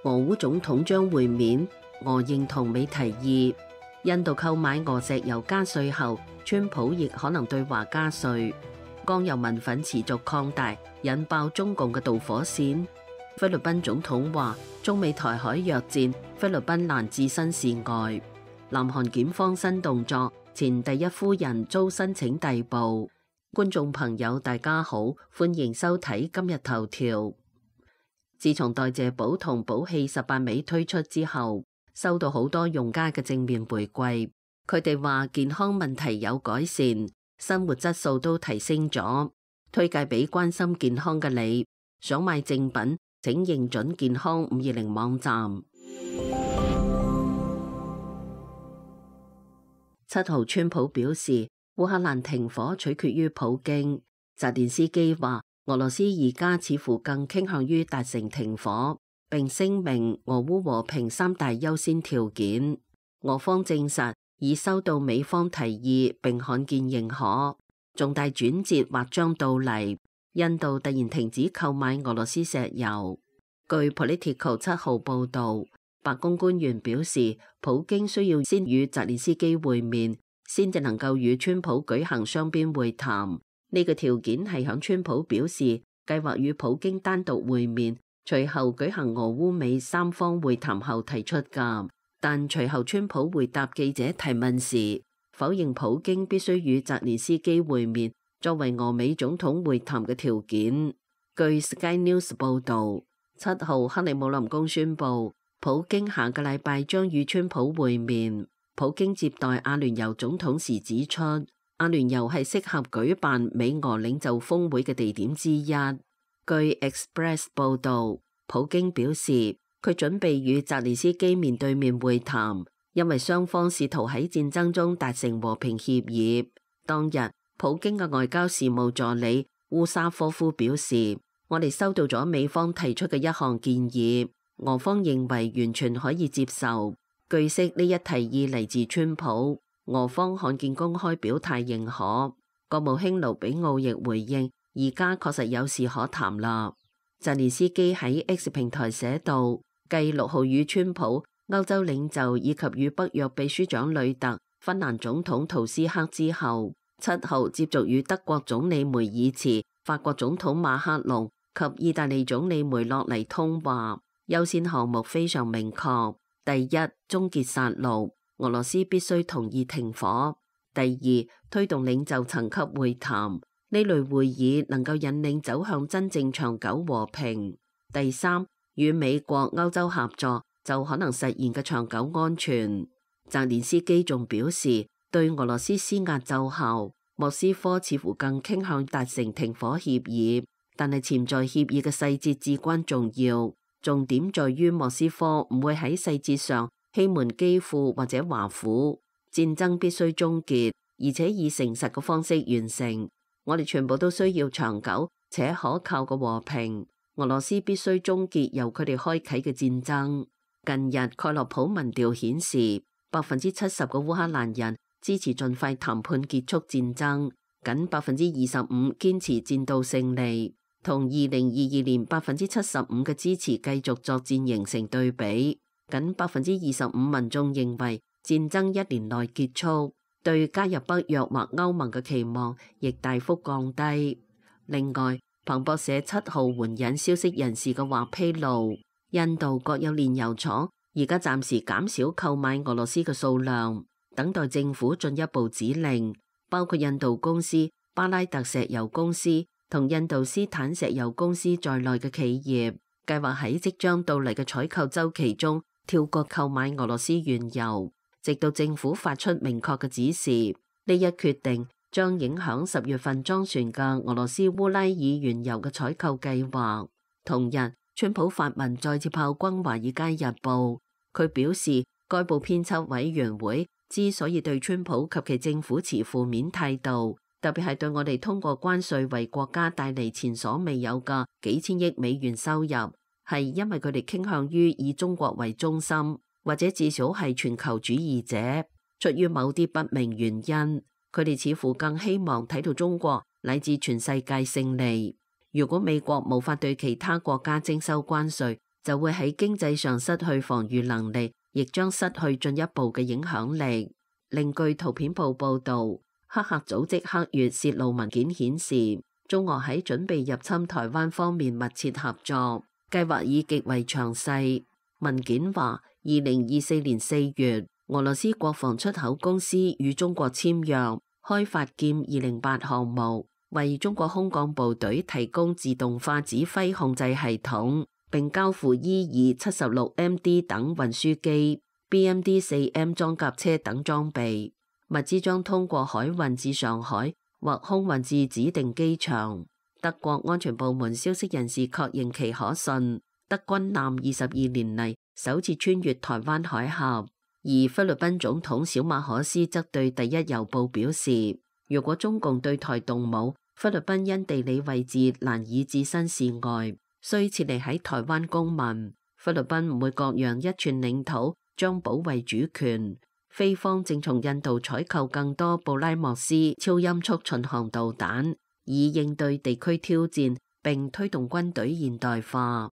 俄烏總統將會面，俄認同美提議。印度購買俄石油加稅後，川普亦可能對華加稅。江油民憤持續擴大，引爆中共嘅導火線。菲律賓總統話：中美台海約戰，菲律賓難置身事外。南韓檢方新動作，前第一夫人遭申請逮捕。觀眾朋友大家好，歡迎收睇今日頭條。自從代謝寶同寶氣18味推出之後，收到好多用家嘅正面回饋。佢哋話健康問題有改善，生活質素都提升咗。推介俾關心健康嘅你，想買正品請認準健康520網站。7號川普表示，烏克蘭停火取決於普京。澤連斯基話，俄羅斯而家似乎更傾向於達成停火，並聲明俄烏和平3大優先條件。俄方證實已收到美方提議並罕見認可，重大轉折或將到嚟。印度突然停止購買俄羅斯石油。據 Politico 7號報導，白宮官員表示，普京需要先與澤連斯基會面，先至能夠與川普舉行雙邊會談。呢個條件係響川普表示計劃與普京單獨會面，隨後舉行俄烏美3方會談後提出㗎。但隨後川普回答記者提問時，否認普京必須與澤連斯基會面作為俄美總統會談嘅條件。據 Sky News 報導，7號克里姆林宮宣布，普京下個禮拜將與川普會面。普京接待阿聯酋總統時指出，阿聯酋係適合舉辦美俄領袖峰會嘅地點之一。據 Express 報導，普京表示佢準備與澤連斯基面對面會談，因為雙方試圖喺戰爭中達成和平協議。當日，普京嘅外交事務助理烏沙科夫表示，我哋收到咗美方提出嘅一項建議，俄方認為完全可以接受。據悉呢一提議嚟自川普，俄方罕見公開表態認可。國務卿盧比奧亦回應，而家確實有事可談啦。澤連斯基喺 X 平台寫道，繼6號與川普、歐洲領袖以及與北約秘書長呂特、芬蘭總統圖斯克之後，7號接續與德國總理梅爾茨、法國總統馬克龍及意大利總理梅洛尼通話。優先項目非常明確：第一，終結殺戮，俄羅斯必須同意停火；第二，推動領袖層級會談，呢類會議能夠引領走向真正長久和平；第三，與美國、歐洲合作就可能實現嘅長久安全。澤連斯基仲表示，對俄羅斯施壓奏效，莫斯科似乎更傾向達成停火協議，但係潛在協議嘅細節至關重要。重點在於莫斯科唔會喺細節上欺瞞基輔或者華府。戰爭必須終結，而且以誠實嘅方式完成。我哋全部都需要長久且可靠嘅和平。俄羅斯必須終結由佢哋開啟嘅戰爭。近日蓋洛普民調顯示，70%嘅烏克蘭人支持盡快談判結束戰爭，僅25%堅持戰到勝利。同2022年75%嘅支持繼續作戰形成對比，僅25%民眾認為戰爭1年內結束，對加入北約或歐盟嘅期望亦大幅降低。另外，彭博社7號援引消息人士嘅話披露，印度國有煉油廠而家暫時減少購買俄羅斯嘅數量，等待政府進一步指令。包括印度公司、巴拉特石油公司同印度斯坦石油公司在內嘅企業，計劃喺即將到嚟嘅採購週期中跳過購買俄羅斯原油，直到政府發出明確嘅指示。呢一決定將影響10月份裝船嘅俄羅斯烏拉爾原油嘅採購計劃。同日，川普發文再次炮轟《華爾街日報》，佢表示該報編輯委員會之所以對川普及其政府持負面態度，特別係對我哋通過關稅為國家帶嚟前所未有嘅幾千億美元收入，係因為佢哋傾向於以中國為中心，或者至少係全球主義者。出於某啲不明原因，佢哋似乎更希望睇到中國乃至全世界勝利。如果美國無法對其他國家徵收關稅，就會喺經濟上失去防禦能力，亦將失去進一步嘅影響力。另據圖片報報導，黑客組織黑月泄露文件顯示，中俄喺準備入侵台灣方面密切合作，計劃已極為詳細。文件話，2024年4月，俄羅斯國防出口公司與中國簽約，開發劍208項目，為中國空降部隊提供自動化指揮控制系統，並交付ER-76MD 等運輸機、BMD-4M 裝甲車等裝備。物資將通過海運至上海或空運至指定機場。德國安全部門消息人士確認其可信。德軍艦22年嚟首次穿越台灣海峽。而菲律賓總統小馬可斯則對第一郵報表示，如果中共對台動武，菲律賓因地理位置難以置身事外，需撤離喺台灣公民。菲律賓唔會割讓一寸領土，將保衛主權。菲方正從印度採購更多布拉莫斯超音速巡航導彈，以應對地區挑戰，並推動軍隊現代化。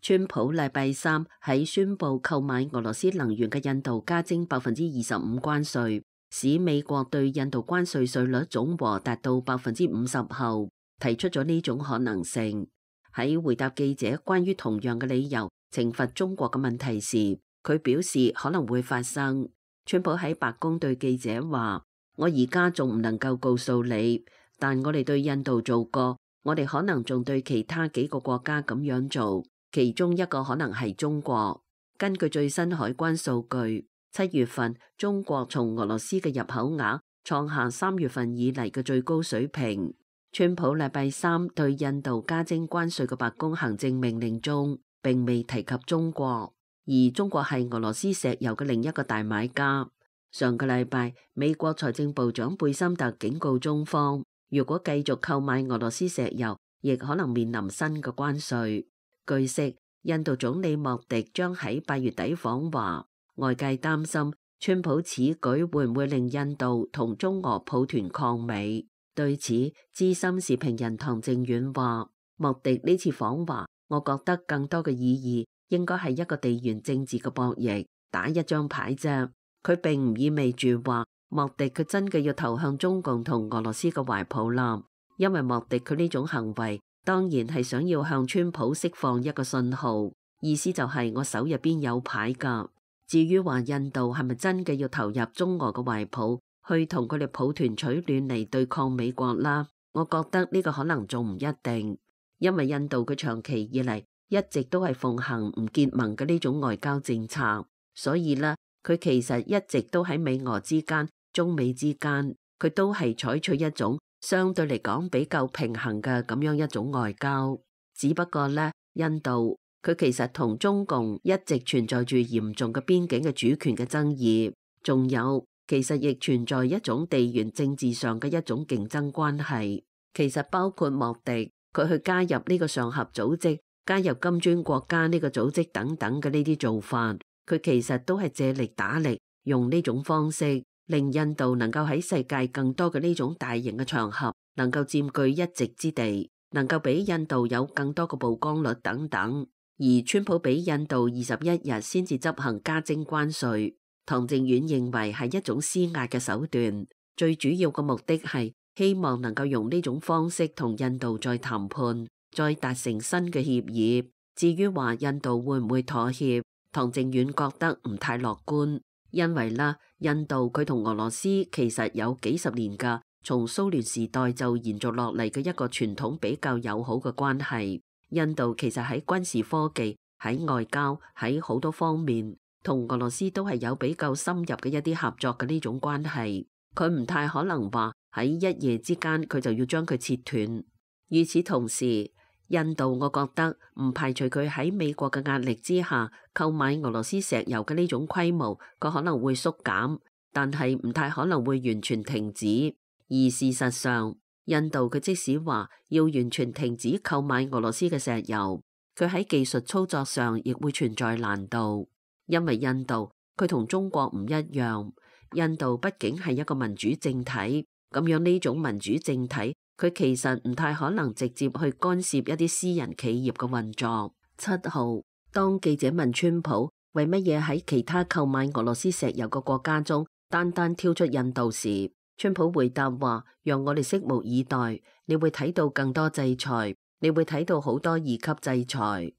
川普禮拜三喺宣布購買俄羅斯能源嘅印度加徵25%關稅，使美國對印度關稅稅率總和達到50%後，提出咗呢種可能性。喺回答記者關於同樣嘅理由懲罰中國嘅問題時，佢表示可能會發生。川普喺白宮對記者話：我而家仲唔能夠告訴你，但我哋對印度做過，我哋可能仲對其他幾個國家咁樣做。其中一個可能係中國。根據最新海關數據，7月份中國從俄羅斯嘅入口額創下3月份以嚟嘅最高水平。川普禮拜三對印度加徵關稅嘅白宮行政命令中並未提及中國，而中國係俄羅斯石油嘅另一個大買家。上個禮拜，美國財政部長貝森特警告中方，如果繼續購買俄羅斯石油，亦可能面臨新嘅關稅。據悉，印度總理莫迪將喺8月底訪華，外界擔心川普此舉會唔會令印度同中俄抱團抗美。對此，資深時評人唐正遠話：莫迪呢次訪華，我覺得更多嘅意義應該係一個地緣政治嘅博弈，打一張牌啫。佢並唔意味住話莫迪佢真嘅要投向中共同俄羅斯嘅懷抱啦，因為莫迪佢呢種行為，當然係想要向川普釋放一個信號，意思就係我手入邊有牌㗎。至於話印度係咪真嘅要投入中俄嘅懷抱，去同佢哋抱團取暖嚟對抗美國啦，我覺得呢個可能仲唔一定，因為印度佢長期以嚟一直都係奉行唔結盟嘅呢種外交政策，所以呢，佢其實一直都喺美俄之間、中美之間，佢都係採取一種相對嚟講比較平衡嘅咁樣一種外交。只不過呢，印度佢其實同中共一直存在住嚴重嘅邊境嘅主權嘅爭議，仲有其實亦存在一種地緣政治上嘅一種競爭關係。其實包括莫迪佢去加入呢個上合組織、加入金磚國家呢個組織等等嘅呢啲做法，佢其實都係借力打力，用呢種方式令印度能夠喺世界更多嘅呢種大型嘅場合能夠佔據一席之地，能夠俾印度有更多嘅曝光率等等。而川普俾印度21日先至執行加徵關稅，唐正遠認為係一種施壓嘅手段，最主要嘅目的係希望能夠用呢種方式同印度再談判，再達成新嘅協議。至於話印度會唔會妥協，唐正遠覺得唔太樂觀，因為啦，印度佢同俄羅斯其實有幾十年㗎，從蘇聯時代就延續落嚟嘅一個傳統比較友好嘅關係。印度其實喺軍事科技、喺外交、喺好多方面，同俄羅斯都係有比較深入嘅一啲合作嘅呢種關係。佢唔太可能話喺一夜之間佢就要將佢切斷。與此同時，印度我覺得唔排除佢喺美國嘅壓力之下購買俄羅斯石油嘅呢種規模，佢可能會縮減，但係唔太可能會完全停止。而事實上，印度佢即使話要完全停止購買俄羅斯嘅石油，佢喺技術操作上亦會存在難度，因為印度佢同中國唔一樣，印度畢竟係一個民主政體，咁樣呢種民主政體佢其實唔太可能直接去干涉一啲私人企業嘅運作。7號，當記者問川普為乜嘢喺其他購買俄羅斯石油嘅國家中單單挑出印度時，川普回答話：讓我哋拭目以待，你會睇到更多制裁，你會睇到好多2級制裁。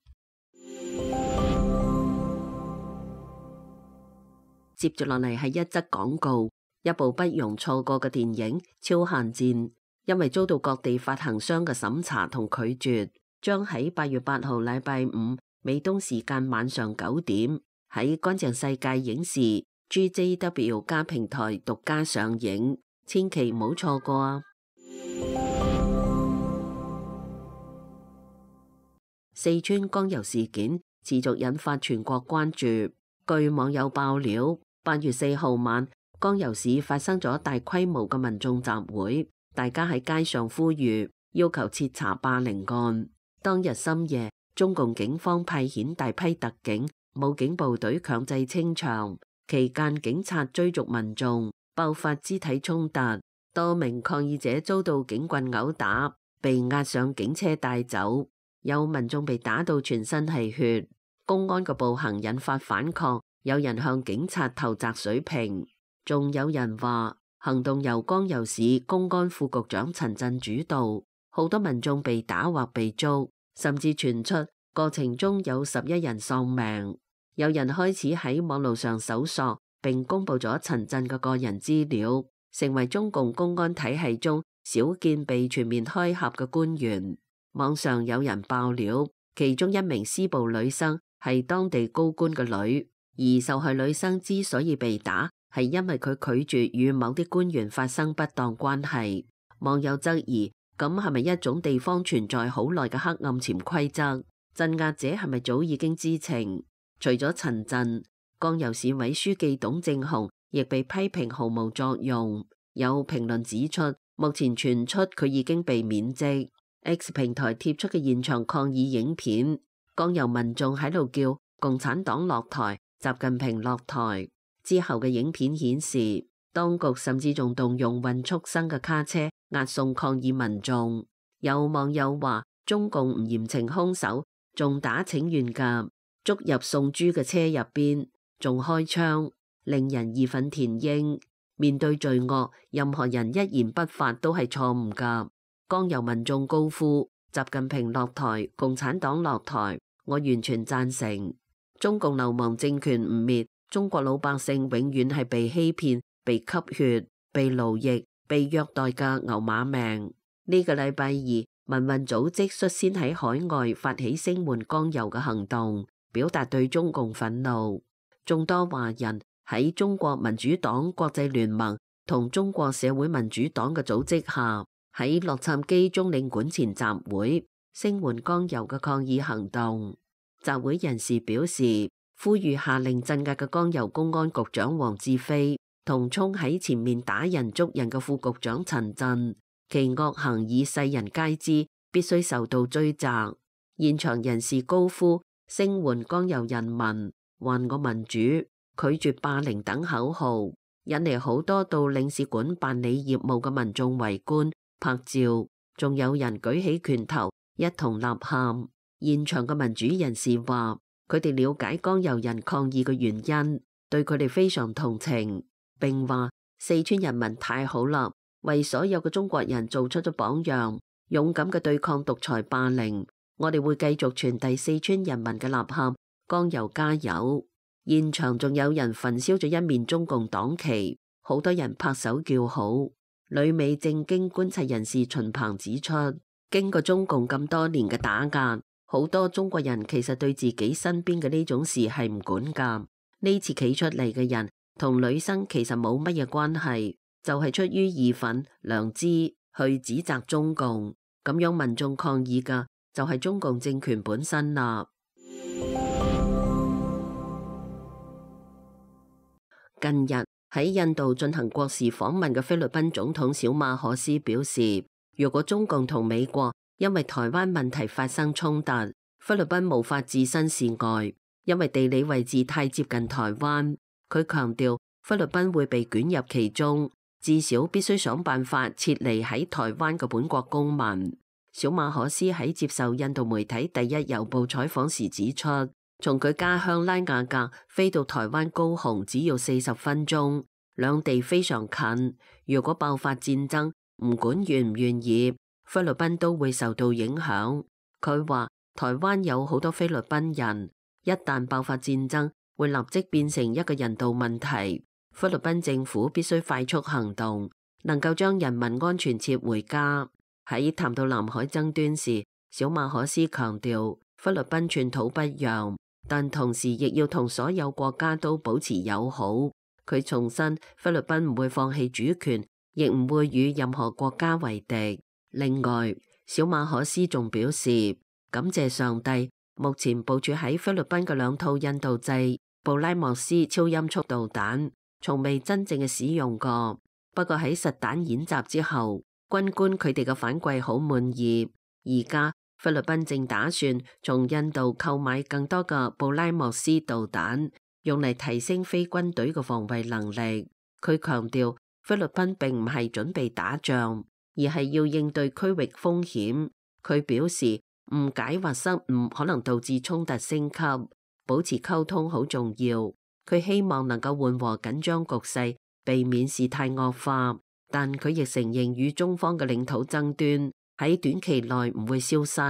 接住落嚟係一則廣告，一部不容錯過嘅電影《超限戰》，因為遭到各地發行商嘅審查同拒絕，將喺8月8號禮拜五美東時間晚上9點喺乾淨世界影視 GJW 加平台獨家上映，千祈唔好錯過啊！四川江油事件持續引發全國關注，據網友爆料，8月4號晚，江油市發生咗大規模嘅民眾集會，大家喺街上呼籲，要求徹查霸凌案。當日深夜，中共警方派遣大批特警、武警部隊強制清場，期間警察追逐民眾，爆發肢體衝突，多名抗議者遭到警棍毆打，被押上警車帶走，有民眾被打到全身係血。公安嘅暴行引發反抗，有人向警察投擲水瓶，仲有人話行動由江油市公安副局長陳震主導，好多民眾被打或被捉，甚至傳出過程中有11人喪命。有人開始喺網路上搜索並公布咗陳震嘅個人資料，成為中共公安體系中少見被全面開闢嘅官員。網上有人爆料，其中一名施暴女生係當地高官嘅女，而受害女生之所以被打，係因為佢拒絕與某啲官員發生不當關係。網友質疑，咁係咪一種地方存在好耐嘅黑暗潛規則？鎮壓者係咪早已經知情？除咗陳震，江油市委書記董正雄亦被批評毫無作用。有評論指出，目前傳出佢已經被免職。X 平台貼出嘅現場抗議影片，江油民眾喺度叫共產黨落台、習近平落台。之後嘅影片顯示，當局甚至仲動用運畜生嘅卡車押送抗議民眾。有網友話，中共唔嚴懲兇手，仲打請願㗎，捉入送豬嘅車入邊，仲開槍，令人義憤填膺。面對罪惡，任何人一言不發都係錯誤㗎。江油民眾高呼習近平落台、共產黨落台，我完全贊成。中共流氓政權唔滅，中國老百姓永遠係被欺騙、被吸血、被奴役、被虐待嘅牛馬命。呢個禮拜二，民運組織率先喺海外發起聲援江油嘅行動，表達對中共憤怒。眾多華人喺中國民主黨國際聯盟同中國社會民主黨嘅組織下，喺洛杉磯中領館前集會，聲援江油嘅抗議行動。集會人士表示，呼籲下令鎮壓嘅江油公安局長黃志飛同衝喺前面打人捉人嘅副局長陳震，其惡行以世人皆知，必須受到追責。現場人士高呼聲援江油人民，還我民主，拒絕霸凌等口號，引嚟好多到領事館辦理業務嘅民眾圍觀拍照，仲有人舉起拳頭一同吶喊。現場嘅民主人士話，佢哋了解江油人抗議嘅原因，對佢哋非常同情，並話四川人民太好啦，為所有嘅中國人做出咗榜樣，勇敢嘅對抗獨裁霸凌。我哋會繼續傳遞四川人民嘅吶喊，江油加油！現場仲有人焚燒咗一面中共黨旗，好多人拍手叫好。旅美政經觀察人士秦鵬指出，經過中共咁多年嘅打壓，好多中國人其實對自己身邊嘅呢種事係唔管㗎。呢次企出嚟嘅人同女生其實冇乜嘢關係，就係出於義憤、良知去指責中共，咁樣民眾抗議㗎，就係中共政權本身啦。近日喺印度進行國事訪問嘅菲律賓總統小馬可斯表示，如果中共同美國因為台灣問題發生衝突，菲律賓無法置身事外，因為地理位置太接近台灣。佢強調菲律賓會被捲入其中，至少必須想辦法撤離喺台灣嘅本國公民。小馬可斯喺接受印度媒體第一郵報採訪時指出，從佢家鄉拉雅格飛到台灣高雄只要40分鐘，兩地非常近。如果爆發戰爭，唔管願唔願意，菲律賓都會受到影響。佢話台灣有好多菲律賓人，一旦爆發戰爭，會立即變成一個人道問題。菲律賓政府必須快速行動，能夠將人民安全撤回家。喺談到南海爭端時，小馬可斯強調菲律賓寸土不讓，但同時亦要同所有國家都保持友好。佢重申菲律賓唔會放棄主權，亦唔會與任何國家為敵。另外，小馬可斯仲表示感謝上帝，目前部署喺菲律賓嘅2套印度製布拉莫斯超音速導彈從未真正嘅使用過，不過喺實彈演習之後，軍官佢哋嘅反饋好滿意。而家菲律賓正打算從印度購買更多嘅布拉莫斯導彈，用嚟提升非軍隊嘅防衛能力。佢強調菲律賓並唔係準備打仗，而係要應對區域風險。佢表示誤解或失誤可能導致衝突升級，保持溝通好重要。佢希望能夠緩和緊張局勢，避免事態惡化。但佢亦承認與中方嘅領土爭端喺短期內唔會消失。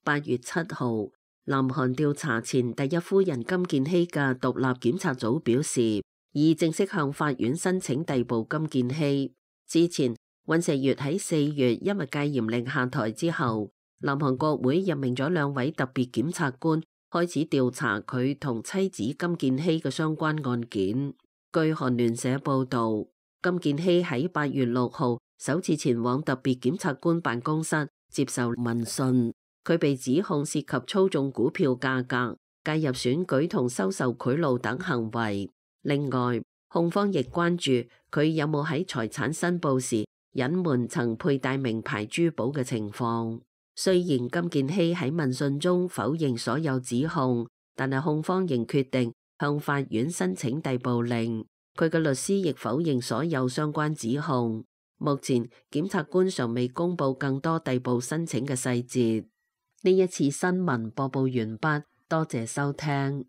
8月7號，南韓調查前第一夫人金建希嘅獨立檢察組表示，已正式向法院申請逮捕金建希。之前，尹錫悅喺4月因為戒嚴令下台之後，南韓國會任命咗2位特別檢察官，開始調查佢同妻子金建希嘅相關案件。據韓聯社報導，金建希喺8月6號首次前往特別檢察官辦公室接受問訊，佢被指控涉及操縱股票價格、介入選舉同收受賄賂等行為。另外，控方亦關注佢有冇喺財產申報時隱瞞曾佩戴名牌珠寶嘅情況。雖然金建希喺問訊中否認所有指控，但係控方仍決定向法院申請逮捕令。佢嘅律師亦否認所有相關指控。目前檢察官尚未公布更多逮捕申請嘅細節。呢一次新聞播報完畢，多謝收聽。